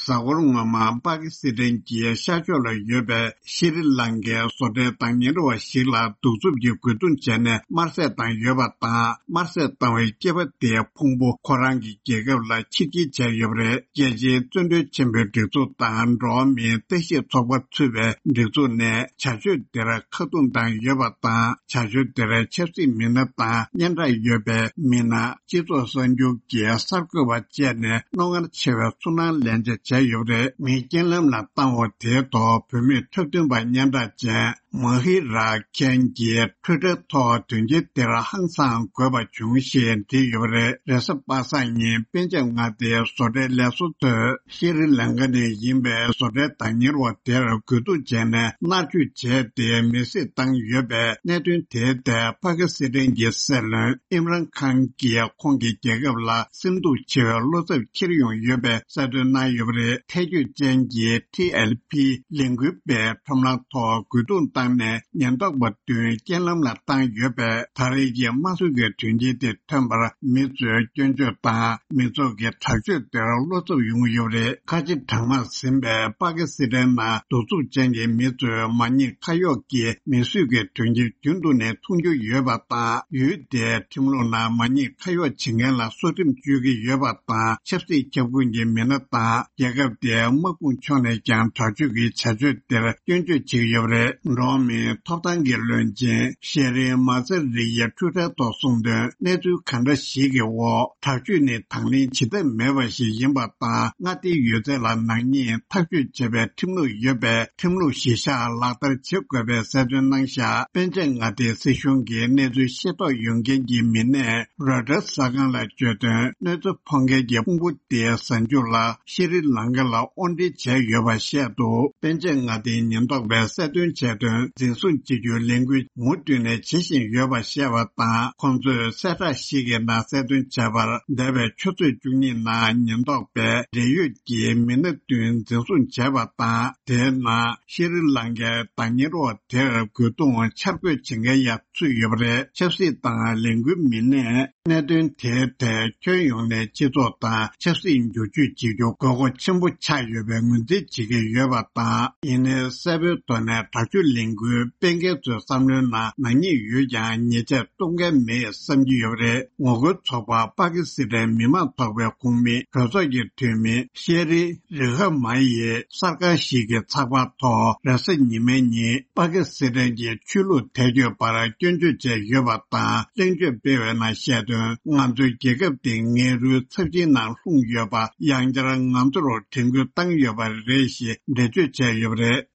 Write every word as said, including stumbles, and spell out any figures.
གཟའ་འཁོར་སྔོན་མ་པ་ཀི་སི་ཐན་གྱི་ཤར་ཕྱོགས་ལ་ཡོད་པའི་ཤྲི་ལང་ཀའི་བཟོ་གྲྭའི་བདག་གཉེར་བ་ཞིག་ལ་གདུག་རྩུབ་ཀྱི་རྒོལ་རྡུང་བྱས་ནས་དམར་བསད་བཏང་ཡོད་པ་དང་། དམར་བསད་བཏང་བའི་སྐྱེས་པ་དེའི་ཕུང་པོ་ཁོ་རང་གི་རྒྱལ་ཁབ་ལ་ཕྱིར་སྐྱེལ་བྱས་ཡོད་པ་རེད། རྒྱལ་སྤྱིའི་བཙན་བྱོལ་ཆེན་པོའི་སྒྲིག་འཛུགས་དང་འགྲོ་བ་མིའི་ལྟ་ཞིབ་ཚོགས་པ་ཚུད་པའི་སྒྲིག་འཛུགས་ནས་བྱ་སྤྱོད་དེར་ཁ་རྡུང་བཏང་ཡོད་པ་དང་། བྱ་སྤྱོད་དེར་ཆབ་སྲིད་མི་སྣ་དང་སྙན་གྲགས་ཡོད་པའི་མི་སྣ། སྤྱི་ཚོགས་གསར་འགྱུར་གྱི་གསར་འགོད་པ་བཅས་ནས་རྣོ་ངར་ཆེ་བའི་ཚོར་སྣང་ལེན་བྱ་བྱས་ཡོད་པ་རེད། མི་རྐྱེན་ལམ་ལ་བཏང་བ་དེའི་ཐོག་བུད་མེད་འཁྲབ་སྟོན་པ་སྙན་གྲགས་ཅན་མ་ཧི་ར་ཁན་གྱིས་ཊུའི་ཊར་ཐོག་དོན་རྐྱེན་དེར་ཧང་སངས་དགོས་པ་བྱུང་ཞེས་བྲིས་ཡོད་པ་རེད། རེས་གཟའ་པ་སངས་ཉིན་པཎ་ཆེན་མངའ་སྡེའི་བཟོ་གྲྭའི་ལས་བཟོ་ཚོས་ཤྲི་ལང་ཀ་ནས་ཡིན་པའི་བཟོ་གྲྭའི་བདག་གཉེར་བ་དེར་རྒོལ་རྡུང་བྱས་ནས་མནར་གཅོད་བྱས་ཏེ་མེར་སྲེག་བཏང་ཡོད་པའི་གནད་དོན་དེའི་ཐད་པ་ཀི་སི་ཐན་གྱི་སྲིད་བློན་ཨིམ་རན་ཁཱན་གྱིས་ཁོང་གི་རྒྱལ་ཁབ་ལ་སེམས་སྡུག་ཆེ་བའི་བློ་འཚབ་འཁྱེར་ཡོང་ཡོད་པའི་གསལ་སྟོན་གནང་ཡོད་པ་རེད། ཐལ་འགྱུར་ཅན་གྱི་ཊི་ཨེལ་པི་ལས་འགུལ་པའི་ཁྲོམ་ལམ་ཐོག་རྒོལ་རྡུང་བཏང་ནས་ཉེན་རྟོག་པ་བདུན་རྐྱེན་ལམ་ལ་བཏང་ཡོད་པས། ད་རེས་ཀྱི་དམར་གསོད་ཀྱི་དོན་རྐྱེན་དེ་ཐོན་པར་མི་ཚོས་སྐྱོན་བརྗོད་དང་མི་ཚོགས་ཀྱི་དྲག་སྤྱོད་དེར་བློ་འཚབ་ཡོང་གི་ཡོད་པ་རེད། ཁ་ཆེ་གྲངས་མང་ཟིན་པའི་པ་ཀི་སི་ཐན་ནང་གདུག་རྩུབ་ཅན་གྱི་མི་ཚོས་མ་ཉེས་ཁ་གཡོགས་ཀྱི་མི་གསོད་ཀྱི་དོན་རྐྱེན་རྒྱུན་དུ་ནས་མཐོང་རྒྱུ་ཡོད་པ་དང་། ཡུལ་དེའི་ཁྲིམས་ལུགས་ནང་མ་ཉེས་ཁ་གཡོགས་བྱེད་མཁན་ལ་སོ་ཁྲིམས་གཅོད་ཀྱི་ཡོད་པ་དང་། ཆབ་སྲིད་ཁྱབ་ཁོངས་ཀྱི་མི་སྣ་དང་རྒྱལ་ཁབ་དེའི་དམག་དཔུང་ཕྱོགས་ནས་ཀྱང་དྲག་སྤྱོད་ཀྱི་བྱ་སྤྱོད་དེར་སྐྱོན་བརྗོད་བྱེད་ཀྱི་ཡོད་པ་རེད། འགྲོ་བ་མིའི་ཐོབ་ཐང་གི་བློན་ཆེན་ཤེ་རི་མ་ཚེ་རི་ཡིས་ཊུའི་ཊར་ཐོག་གསུངས་དོན། གནས་ཚུལ་གང་འདྲ་ཞིག་གི་འོག་དྲག་སྤྱོད་ནི་དང་ལེན་བྱེད་ཐབས་མེད་པ་ཞིག་ཡིན་པ་དང་། མངའ་སྡེའི་ཡོད་ཚད་ལ་ནག་ཉེས་ཐག་གཅོད་བྱེད་པའི་ཁྲིམས་ལུགས་ཡོད་པས། ཁྲིམས་ལུགས་གཞི་བཞག་ལག་བསྟར་བྱེད་དགོས་པའི་གསལ་སྟོན་གནང་བཞག་པཎ་ཆེན་མངའ་སྡེའི་སྲིད་གཞུང་གིས་གནས་ཚུལ་ཤེས་རྟོགས་ཡོད་མཁན་གྱི་མི་སྣས་རོའི་ཊར་གསར་ཁང་ལ་བརྗོད་དོན། གནོད་འཚེ་ཕོག་མཁན་གྱི་ཕུང་པོ་དེའི་གཟའ་མཇུག་ལ་ཤྲི་ལང་ཀ་ལ་དབོར་འདྲེན་བྱས་ཡོད་པ་བཤད་འདུག་པཎ་ཆེན་མངའ་སྡེའི་ཉེན་རྟོག་པས་གསལ་སྟོན་བྱས་དོན། འཛིན་བཟུང་བྱེད་རྒྱུའི་ལས་འགུལ་མུ་མཐུད་ནས་བྱེད་བཞིན་ཡོད་པ་བཤད་པ་དང་། ཁོང་ཚོས་གསལ་བསྒྲགས་ཤིག་གི་ནང་གསལ་སྟོན་བྱས་པར། འདས་པའི་ཆུ་ཚོད་བཅུ་གཉིས་ནང་ཉེན་རྟོག་པས་འབྲེལ་ཡོད་ཀྱི་མི་སྣ་བདུན་འཛིན་བཟུང་བྱས་པ་དང་། དེའི་ནང་ཤྲི་ལང་ཀའི་བདག་གཉེར་བ་དེར་རྒོལ་རྡུང་འཆར་འགོད་བྱེད་མཁན་ཡང་ཚུད་ཡོད་པ་རེད། ཆབ་སྲིད་དང་ལས་འགུལ་མི་སྣས་གནད་དོན་དེའི་ཐད་ཁྱོན་ཡོངས་ནས་སྤྱི་ཚོགས་དང་ཆབ་སྲིད་བསྒྱུར་བཅོས་བྱེད་རྒྱུ་དགོས་མཁོ་ཆེན་པོ་ཆགས་ཡོད་པའི་ངོས་འཛིན་བྱེད་ཀྱི་ཡོད་པ་དང་། ཡིན་ནའི་གསལ་པོའི་ཐོག་ནས་དྲག་སྤྱོད་ལས་འགུལ་སྤེལ་མཁན་ཚོའི་བསམ་བློའི་ནང་ནག་ཉེས་ཡོད་ཀྱང་ཉེས་ཆད་གཏོང་མཁན་མེད་བསམ་གྱི་ཡོད་པ་རེད། ངོ་རྒོལ་ཚོགས་པ་པ་ཀི་སི་ཐན་མི་མང་ཚོགས་པའི་ཁོངས་མི་གྲོས་ཚོགས་ཀྱི་འཐུས་མི་ཤེ་རི་རི་ཧ་མ་ཡིས་གསར་ཁང་ཞིག་གི་ཚགས་པར་ཐོག་རེས་གཟའ་ཉི་མའི་ཉིན་པ་ཀི་སི་ཐན་གྱི་ཆོས་ལུགས་དད་གཅོད་པར་སྐྱོན་བརྗོད་བྱས་ཡོད་པ་དང་། གླེང་བརྗོད་སྤེལ་བའི་ནང་བཤད་དོན། ང་ཚོའི་རྒྱལ་ཁབ་དེ་ངན་རུལ་ཚབས་ཆེན་ནང་ལྷུང་ཡོད་པ་ཡང་བསྐྱར་ང་ཚོར་དྲན་སྐུལ་བཏང་ཡོད་པ་རེད་ཞེས་འགྲེལ་བརྗོད་བྱས་ཡོད་པ་རེད།